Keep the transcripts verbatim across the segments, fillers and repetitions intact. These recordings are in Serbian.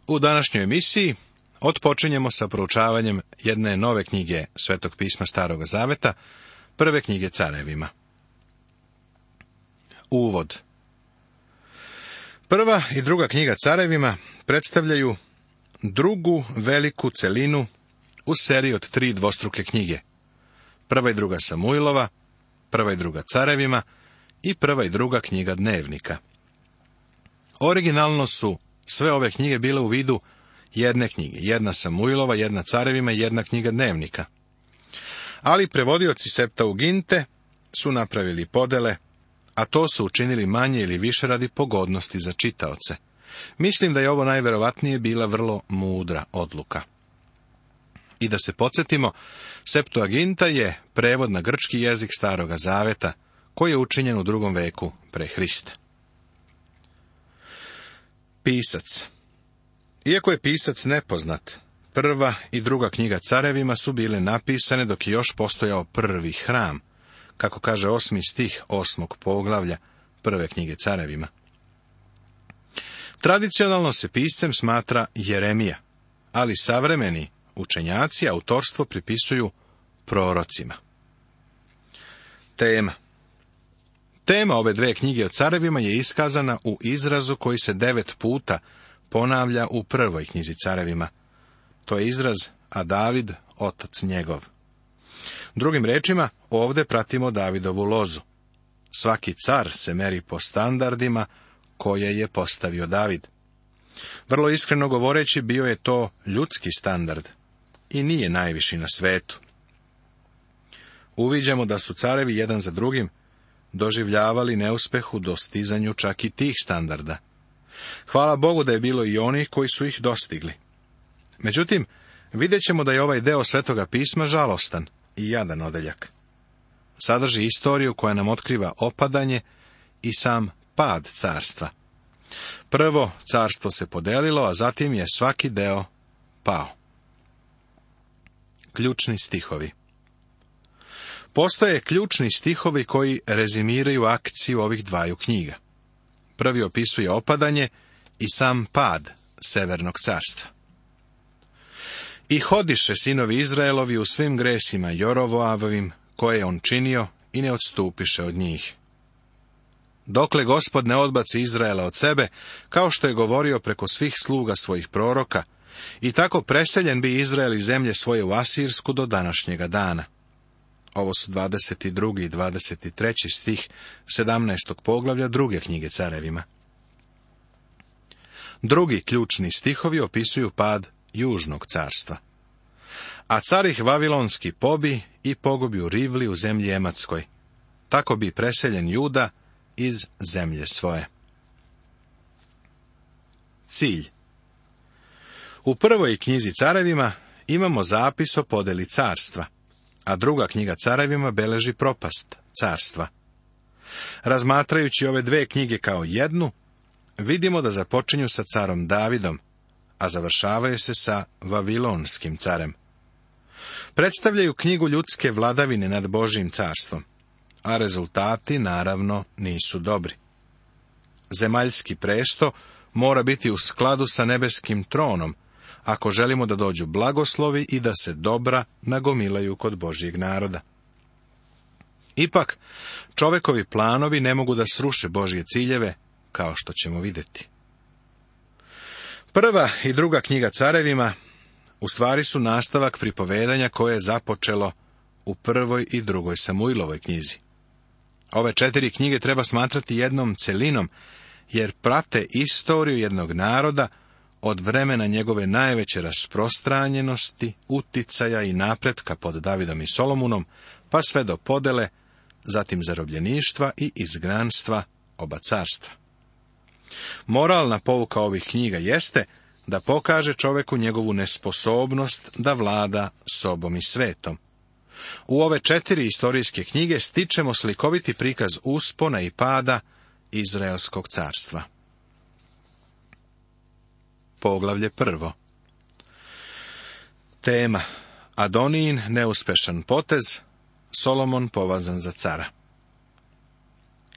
U današnjoj emisiji otpočinjemo sa proučavanjem jedne nove knjige Svetog pisma Staroga zaveta, prve knjige Carevima. Uvod. Prva i druga knjiga Carevima predstavljaju drugu veliku celinu u seriji od tri dvostruke knjige. Prva i druga Samuilova, prva i druga Carevima i prva i druga knjiga Dnevnika. Originalno su sve ove knjige bile u vidu jedne knjige, jedna Samuilova, jedna Carevima i jedna knjiga Dnevnika. Ali prevodioci Septuaginte su napravili podele, a to su učinili manje ili više radi pogodnosti za čitaoce. Mislim da je ovo najverovatnije bila vrlo mudra odluka. I da se podsjetimo, Septuaginta je prevod na grčki jezik Staroga zaveta, koji je učinjen u drugom veku pre Hrista. Pisac. Iako je pisac nepoznat, prva i druga knjiga Carevima su bile napisane dok je još postojao prvi hram, kako kaže osmi stih osmog poglavlja prve knjige Carevima. Tradicionalno se piscem smatra Jeremija, ali savremeni učenjaci autorstvo pripisuju prorocima. Tema. Tema ove dve knjige o Carevima je iskazana u izrazu koji se devet puta ponavlja u prvoj knjizi Carevima. To je izraz a David, otac njegov. Drugim rečima, ovdje pratimo Davidovu lozu. Svaki car se meri po standardima koje je postavio David. Vrlo iskreno govoreći, bio je to ljudski standard i nije najviši na svetu. Uviđamo da su carevi jedan za drugim doživljavali neuspeh u dostizanju čak i tih standarda. Hvala Bogu da je bilo i onih koji su ih dostigli. Međutim, vidjet ćemo da je ovaj deo Svetoga pisma žalostan i jadan odeljak. Sadrži istoriju koja nam otkriva opadanje i sam pad carstva. Prvo carstvo se podelilo, a zatim je svaki deo pao. Ključni stihovi. Postoje ključni stihovi koji rezimiraju akciju ovih dvaju knjiga. Prvi opisuje opadanje i sam pad Severnog carstva. I hodiše sinovi Izraelovi u svim gresima Jorovoavovim, koje je on činio, i ne odstupiše od njih. Dokle Gospod ne odbaci Izraela od sebe, kao što je govorio preko svih sluga svojih proroka, i tako preseljen bi Izrael iz zemlje svoje u Asirsku do današnjega dana. Ovo su dvadeset drugi i dvadeset treći stih sedamnaestog poglavlja druge knjige Carevima. Drugi ključni stihovi opisuju pad Južnog carstva. A car ih Vavilonski pobi i pogubi u Rivli u zemlji Ematskoj. Tako bi preseljen Juda iz zemlje svoje. Cilj. U prvoj knjizi Carevima imamo zapis o podeli carstva, a druga knjiga Carevima beleži propast carstva. Razmatrajući ove dve knjige kao jednu, vidimo da započinju sa carom Davidom, a završavaju se sa Vavilonskim carem. Predstavljaju knjigu ljudske vladavine nad Božjim carstvom, a rezultati, naravno, nisu dobri. Zemaljski presto mora biti u skladu sa nebeskim tronom, ako želimo da dođu blagoslovi i da se dobra nagomilaju kod Božjeg naroda. Ipak, čovekovi planovi ne mogu da sruše Božje ciljeve, kao što ćemo vidjeti. Prva i druga knjiga Carevima u stvari su nastavak pripovedanja koje je započelo u prvoj i drugoj Samuilovoj knjizi. Ove četiri knjige treba smatrati jednom celinom, jer prate istoriju jednog naroda od vremena njegove najveće rasprostranjenosti, uticaja i napretka pod Davidom i Solomunom, pa sve do podele, zatim zarobljeništva i izgnanstva oba carstva. Moralna pouka ovih knjiga jeste da pokaže čoveku njegovu nesposobnost da vlada sobom i svetom. U ove četiri istorijske knjige stičemo slikoviti prikaz uspona i pada Izraelskog carstva. Poglavlje prvo. Tema. Adonijin neuspešan potez, Solomon povazan za cara.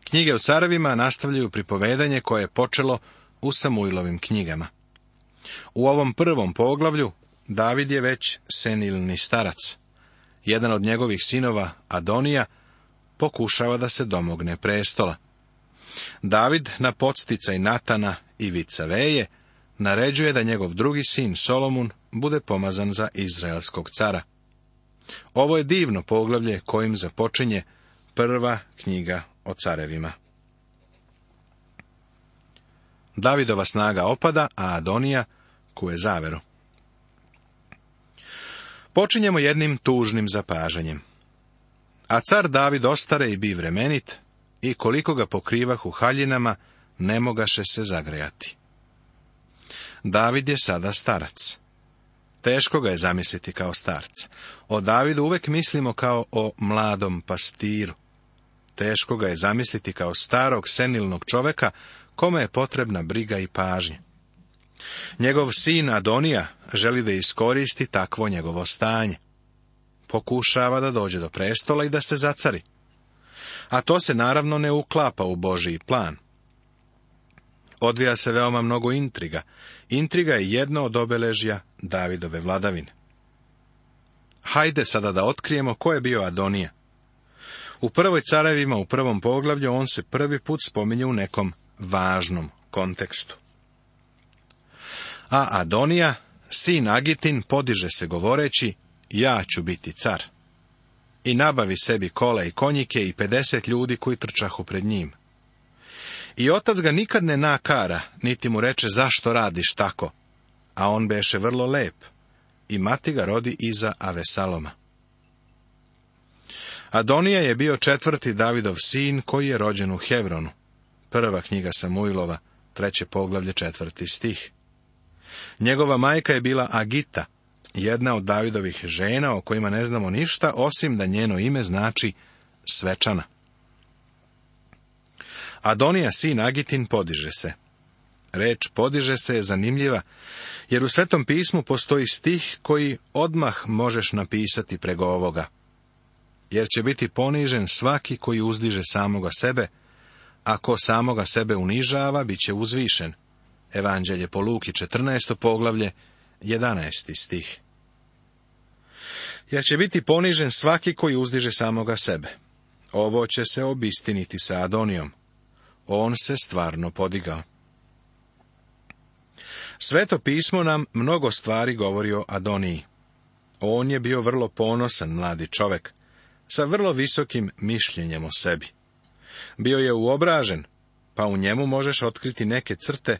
Knjige o carevima nastavljaju pripovedanje koje je počelo u Samuilovim knjigama. U ovom prvom poglavlju David je već senilni starac. Jedan od njegovih sinova, Adonija, pokušava da se domogne prestola. David na podsticaj Natana i Vicaveje naređuje da njegov drugi sin Solomun bude pomazan za izraelskog cara. Ovo je divno poglavlje kojim započinje prva knjiga o carevima. Davidova snaga opada, a Adonija kuje zaveru. Počinjemo jednim tužnim zapažanjem. A car David ostare i bi vremenit, i koliko ga pokrivahu haljinama, ne mogaše se zagrejati. David je sada starac. Teško ga je zamisliti kao starca. O Davidu uvek mislimo kao o mladom pastiru. Teško ga je zamisliti kao starog, senilnog čoveka, kome je potrebna briga i pažnja. Njegov sin Adonija želi da iskoristi takvo njegovo stanje. Pokušava da dođe do prestola i da se zacari. A to se naravno ne uklapa u Božji plan. Odvija se veoma mnogo intriga. Intriga je jedno od obeležja Davidove vladavine. Hajde sada da otkrijemo ko je bio Adonija. U prvoj carevima, u prvom poglavlju, on se prvi put spominje u nekom važnom kontekstu. A Adonija, sin Agitin, podiže se govoreći, ja ću biti car. I nabavi sebi kola i konjike i pedeset ljudi koji trčahu pred njim. I otac ga nikad ne nakara, niti mu reče zašto radiš tako, a on beše vrlo lep, i mati ga rodi iza Avesaloma. Adonija je bio četvrti Davidov sin koji je rođen u Hevronu. Prva knjiga Samuilova, treće poglavlje, četvrti stih. Njegova majka je bila Agita, jedna od Davidovih žena o kojima ne znamo ništa, osim da njeno ime znači svečana. Adonija, sin Agitin, podiže se. Reč podiže se je zanimljiva, jer u Svetom pismu postoji stih koji odmah možeš napisati preko ovoga. Jer će biti ponižen svaki koji uzdiže samoga sebe, a ko samoga sebe unižava, bit će uzvišen. Evanđelje po Luki, četrnaesto poglavlje, jedanaesti stih. Jer će biti ponižen svaki koji uzdiže samoga sebe. Ovo će se obistiniti sa Adonijom. On se stvarno podigao. Sveto pismo nam mnogo stvari govori o Adoniji. On je bio vrlo ponosan mladi čovek, sa vrlo visokim mišljenjem o sebi. Bio je uobražen, pa u njemu možeš otkriti neke crte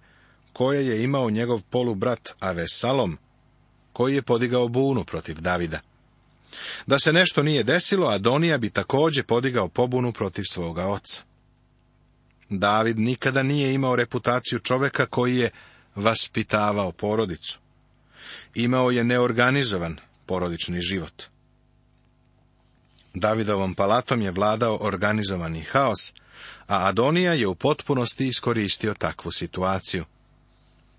koje je imao njegov polubrat Avesalom, koji je podigao bunu protiv Davida. Da se nešto nije desilo, Adonija bi također podigao pobunu protiv svoga oca. David nikada nije imao reputaciju čoveka koji je vaspitavao porodicu. Imao je neorganizovan porodični život. Davidovom palatom je vladao organizovani haos, a Adonija je u potpunosti iskoristio takvu situaciju.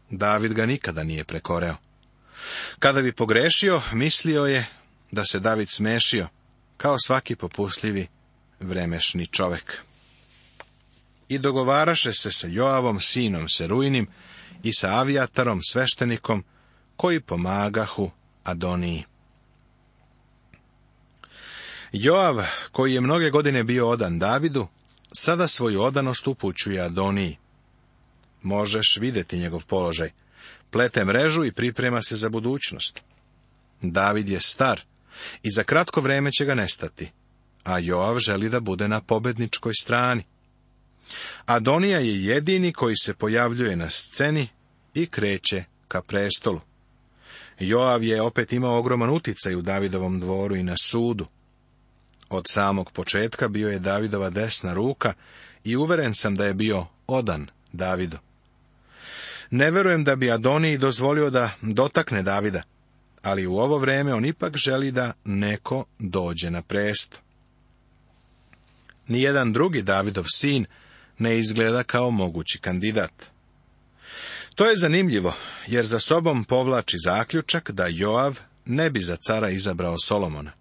David ga nikada nije prekoreo. Kada bi pogrešio, mislio je da se David smešio, kao svaki popustljivi vremešni čovek. I dogovaraše se sa Joavom, sinom Serujnim, i sa Avijatarom, sveštenikom, koji pomagahu Adoniji. Joav, koji je mnoge godine bio odan Davidu, sada svoju odanost upućuje Adoniji. Možeš vidjeti njegov položaj. Plete mrežu i priprema se za budućnost. David je star i za kratko vreme će ga nestati, a Joav želi da bude na pobedničkoj strani. Adonija je jedini koji se pojavljuje na sceni i kreće ka prestolu. Joav je opet imao ogroman uticaj u Davidovom dvoru i na sudu. Od samog početka bio je Davidova desna ruka i uveren sam da je bio odan Davidu. Ne verujem da bi Adoniji dozvolio da dotakne Davida, ali u ovo vreme on ipak želi da neko dođe na presto. Nijedan drugi Davidov sin ne izgleda kao mogući kandidat. To je zanimljivo, jer za sobom povlači zaključak da Joav ne bi za cara izabrao Solomona.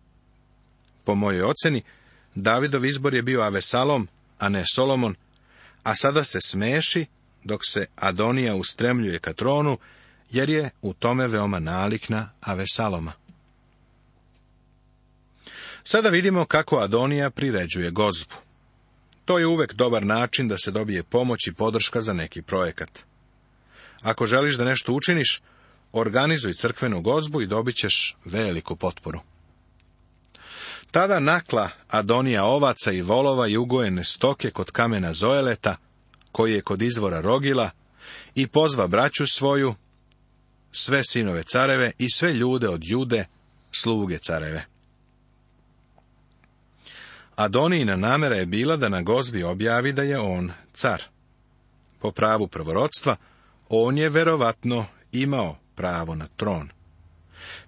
Po mojoj oceni, Davidov izbor je bio Avesalom, a ne Solomon, a sada se smeši dok se Adonija ustremljuje ka tronu, jer je u tome veoma nalik na Avesaloma. Sada vidimo kako Adonija priređuje gozbu. To je uvek dobar način da se dobije pomoć i podrška za neki projekat. Ako želiš da nešto učiniš, organizuj crkvenu gozbu i dobit ćeš veliku potporu. Tada nakla Adonija ovaca i volova i ugojene stoke kod kamena Zoeleta, koji je kod izvora Rogila, i pozva braću svoju, sve sinove careve i sve ljude od Jude, sluge careve. Adonijina namera je bila da na gozbi objavi da je on car. Po pravu prvorodstva, on je verovatno imao pravo na tron.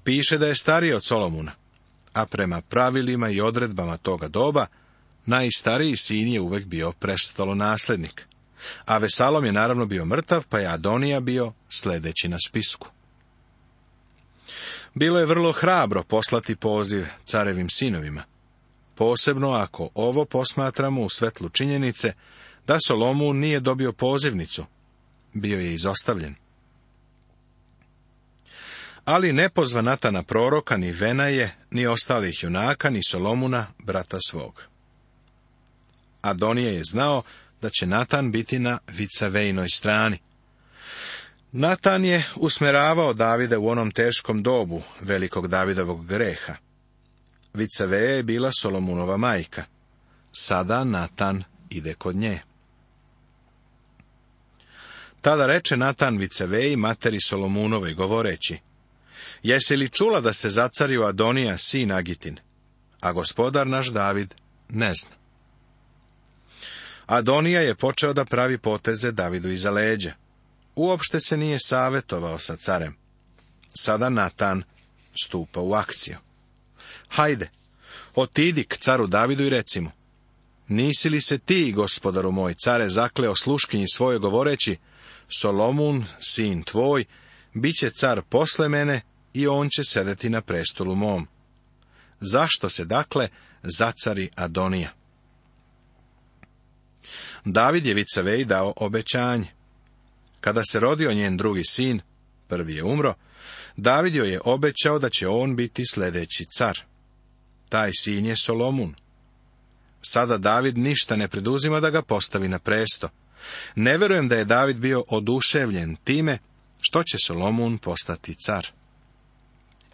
Piše da je stariji od Solomuna, a prema pravilima i odredbama toga doba, najstariji sin je uvek bio prestolonaslednik. A Vesalom je naravno bio mrtav, pa je Adonija bio sledeći na spisku. Bilo je vrlo hrabro poslati poziv carevim sinovima, posebno ako ovo posmatramo u svetlu činjenice da Solomun nije dobio pozivnicu, bio je izostavljen. Ali ne pozva Natana proroka, ni Venaje, ni ostalih junaka, ni Solomuna, brata svog. Adonija je znao da će Natan biti na Vicavejnoj strani. Natan je usmeravao Davida u onom teškom dobu velikog Davidovog greha. Vicaveja je bila Solomunova majka. Sada Natan ide kod nje. Tada reče Natan Vicaveji, materi Solomunovoj, govoreći: Jesi li čula da se zacario Adonija, sin Agitin, a gospodar naš David ne zna? Adonija je počeo da pravi poteze Davidu iza leđa. Uopšte se nije savjetovao sa carem. Sada Natan stupa u akciju. Hajde, otidi k caru Davidu i reci mu: Nisi li se ti, gospodaru moj, care, zakleo sluškinji svojoj govoreći: Solomun, sin tvoj, bit će car posle mene i on će sedeti na prestolu mom. Zašto se, dakle, zacari Adonija? David je Vicaveji dao obećanje. Kada se rodio njen drugi sin, prvi je umro, David joj je obećao da će on biti sledeći car. Taj sin je Solomun. Sada David ništa ne preduzima da ga postavi na presto. Ne verujem da je David bio oduševljen time što će Solomun postati car.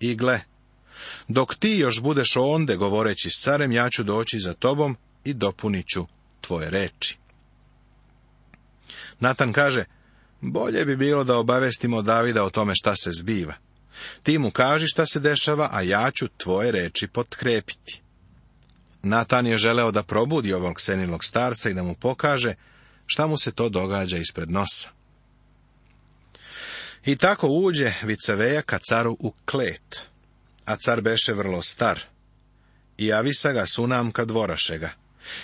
I gle, dok ti još budeš onde govoreći s carem, ja ću doći za tobom i dopunit ću tvoje reči. Natan kaže: Bolje bi bilo da obavestimo Davida o tome šta se zbiva. Ti mu kaži šta se dešava, a ja ću tvoje reči potkrepiti. Natan je želeo da probudi ovog senilog starca i da mu pokaže šta mu se to događa ispred nosa. I tako uđe Vicaveja ka caru u klet, a car beše vrlo star. I javisa ga Sunamka dvorašega.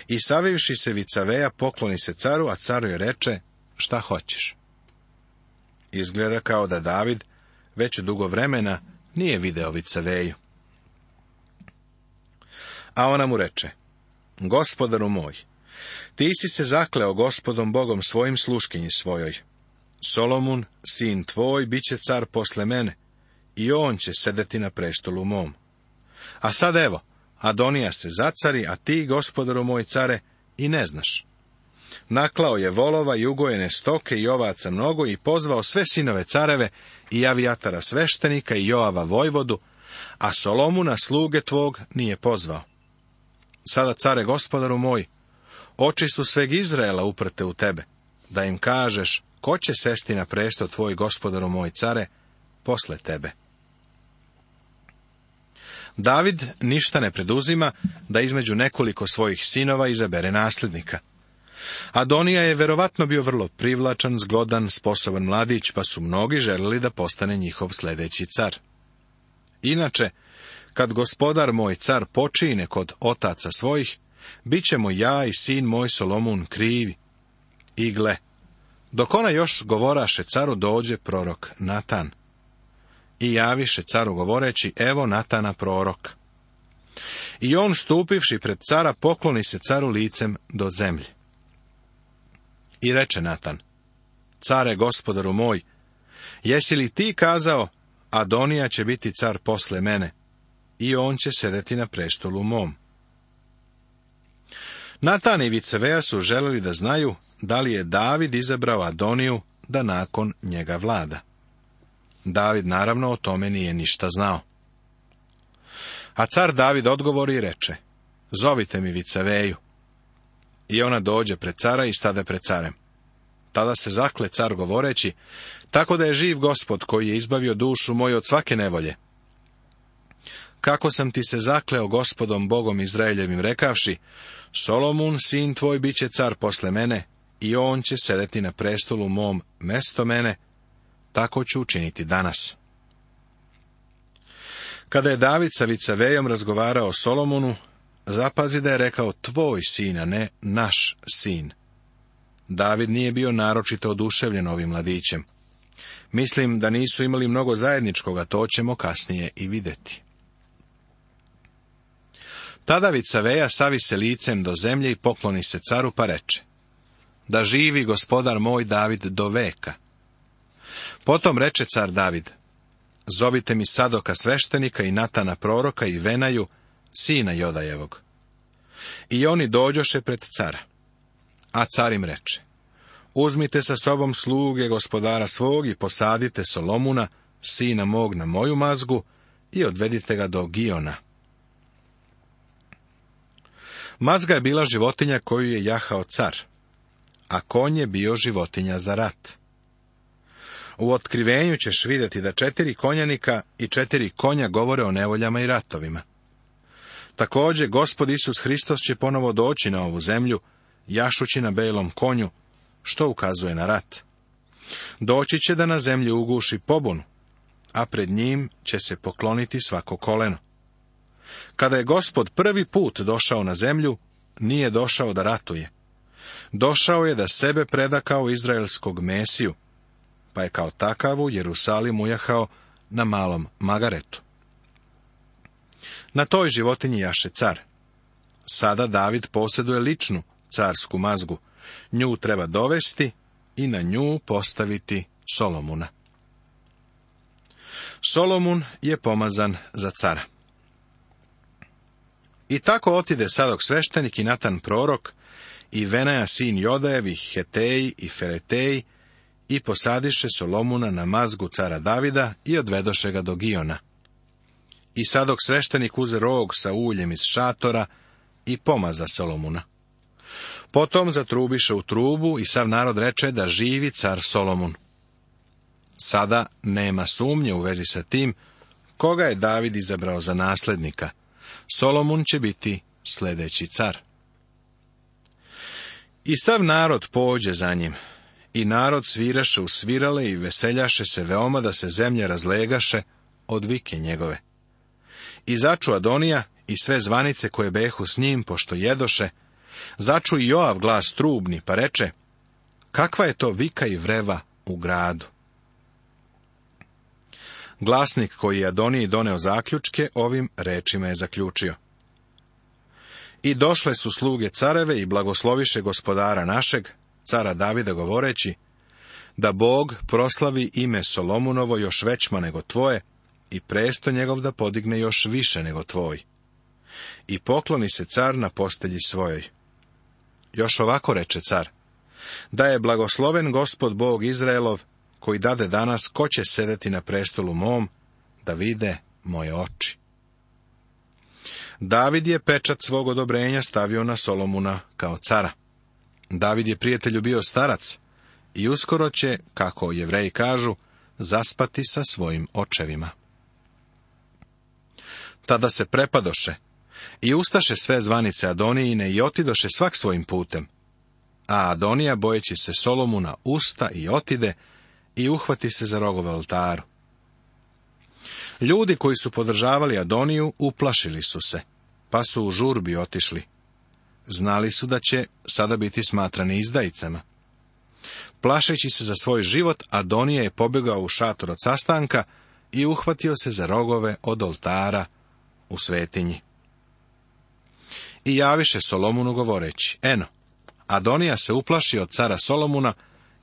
I savivši se Vicaveja, pokloni se caru, a caru je reče: Šta hoćeš? Izgleda kao da David već dugo vremena nije video Vicaveju. A ona mu reče: Gospodaru moj, ti si se zakleo Gospodom Bogom svojim sluškinji svojoj. Solomun, sin tvoj, bit će car posle mene, i on će sedeti na prestolu mom. A sad evo, Adonija se zacari, a ti, gospodaru moj care, i ne znaš. Naklao je volova i ugojene stoke i ovaca mnogo i pozvao sve sinove careve i Avijatara sveštenika i Joava vojvodu, a Solomuna sluge tvog nije pozvao. Sada, care, gospodaru moj, oči su sveg Izraela uprte u tebe, da im kažeš ko će sesti na presto tvoj, gospodaru moj care, posle tebe. David ništa ne preduzima da između nekoliko svojih sinova izabere nasljednika. Adonija je verovatno bio vrlo privlačan, zgodan, sposoban mladić, pa su mnogi želeli da postane njihov sledeći car. Inače, kad gospodar moj car počine kod otaca svojih, bit ćemo ja i sin moj Solomun krivi. I gle, dok ona još govoraše caru, dođe prorok Natan. I javiše caru govoreći: Evo Natana prorok. I on, stupivši pred cara, pokloni se caru licem do zemlje. I reče Natan: Care, gospodaru moj, Jesi li ti kazao, Adonija će biti car posle mene, i on će sedeti na prestolu mom? Natan i Vicaveja su želeli da znaju da li je David izabrao Adoniju da nakon njega vlada. David naravno o tome nije ništa znao. A car David odgovori i reče, zovite mi Vicaveju. I ona dođe pred cara i stade pred carem. Tada se zakle car govoreći, tako da je živ Gospod koji je izbavio dušu moju od svake nevolje. Kako sam ti se zakleo Gospodom Bogom Izraeljevim rekavši, Solomun, sin tvoj, bit će car posle mene, i on će sedeti na prestolu mom mesto mene, tako ću učiniti danas. Kada je David sa Vicavejom razgovarao o Solomonu, zapazi da je rekao tvoj sin, a ne naš sin. David nije bio naročito oduševljen ovim mladićem. Mislim da nisu imali mnogo zajedničkoga, to ćemo kasnije i vidjeti. Tada Vicaveja savi se licem do zemlje i pokloni se caru pa reče, da živi gospodar moj David do veka. Potom reče car David, zovite mi Sadoka sveštenika i Natana proroka i Venaju, sina Jodajevog. I oni dođoše pred cara. A car im reče, uzmite sa sobom sluge gospodara svog i posadite Solomuna, sina mog, na moju mazgu i odvedite ga do Giona. Mazga je bila životinja koju je jahao car, a konj je bio životinja za rat. U otkrivenju ćeš vidjeti da četiri konjanika i četiri konja govore o nevoljama i ratovima. Također, Gospod Isus Hristos će ponovo doći na ovu zemlju, jašući na belom konju, što ukazuje na rat. Doći će da na zemlji uguši pobunu, a pred njim će se pokloniti svako koleno. Kada je Gospod prvi put došao na zemlju, nije došao da ratuje. Došao je da sebe preda kao izraelskog Mesiju, pa je kao takav u Jerusalim ujahao na malom magaretu. Na toj životinji jaše car. Sada David posjeduje ličnu carsku mazgu. Nju treba dovesti i na nju postaviti Solomuna. Solomun je pomazan za cara. I tako otide Sadok sveštenik i Natan prorok i Venaja sin Jodajev i Heteji i Feleteji i posadiše Solomuna na mazgu cara Davida i odvedoše ga do Giona. I Sadok sveštenik uze rog sa uljem iz šatora i pomaza Solomuna. Potom zatrubiše u trubu i sav narod reče da živi car Solomun. Sada nema sumnje u vezi sa tim koga je David izabrao za naslednika. Solomun će biti sljedeći car. I sav narod pođe za njim. I narod sviraše u svirale i veseljaše se veoma da se zemlja razlegaše od vike njegove. I začu Adonija i sve zvanice koje behu s njim, pošto jedoše, začu i Joav glas trubni, pa reče, kakva je to vika i vreva u gradu? Glasnik koji je Adoniji doneo zaključke, ovim rečima je zaključio. I došle su sluge careve i blagosloviše gospodara našeg, cara Davida, govoreći, da Bog proslavi ime Solomunovo još većma nego tvoje i presto njegov da podigne još više nego tvoj. I pokloni se car na postelji svojoj. Još ovako reče car, da je blagosloven Gospod Bog Izraelov, koji dade danas ko će sedeti na prestolu mom, da vide moje oči. David je pečat svog odobrenja stavio na Solomuna kao cara. David je prijatelju bio starac i uskoro će, kako Jevreji kažu, zaspati sa svojim očevima. Tada se prepadoše i ustaše sve zvanice Adonijine i otidoše svak svojim putem. A Adonija, bojeći se Solomuna, usta i otide i uhvati se za rogove oltaru. Ljudi koji su podržavali Adoniju uplašili su se, pa su u žurbi otišli. Znali su da će sada biti smatrani izdajicama. Plašeći se za svoj život, Adonija je pobjegao u šator od sastanka i uhvatio se za rogove od oltara u svetinji. I javiše Solomunu govoreći, eno, Adonija se uplaši od cara Solomuna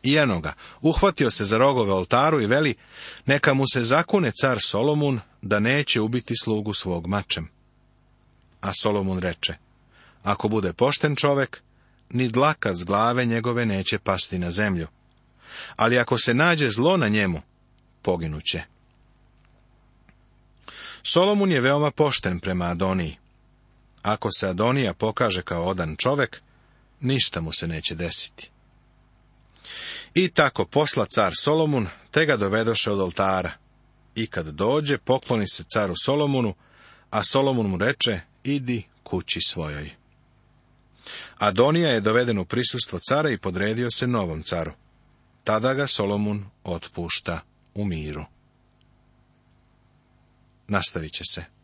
Ianoga, uhvatio se za rogove oltaru i veli, neka mu se zakune car Solomun da neće ubiti slugu svog mačem. A Solomun reče, ako bude pošten čovek, ni dlaka s glave njegove neće pasti na zemlju, ali ako se nađe zlo na njemu, poginuće. Solomun je veoma pošten prema Adoniji. Ako se Adonija pokaže kao odan čovek, ništa mu se neće desiti. I tako posla car Solomun, te ga dovedoše od oltara. I kad dođe, pokloni se caru Solomunu, a Solomun mu reče, idi kući svojoj. Adonija je doveden u prisustvo cara i podredio se novom caru. Tada ga Solomun otpušta u miru. Nastavit će se.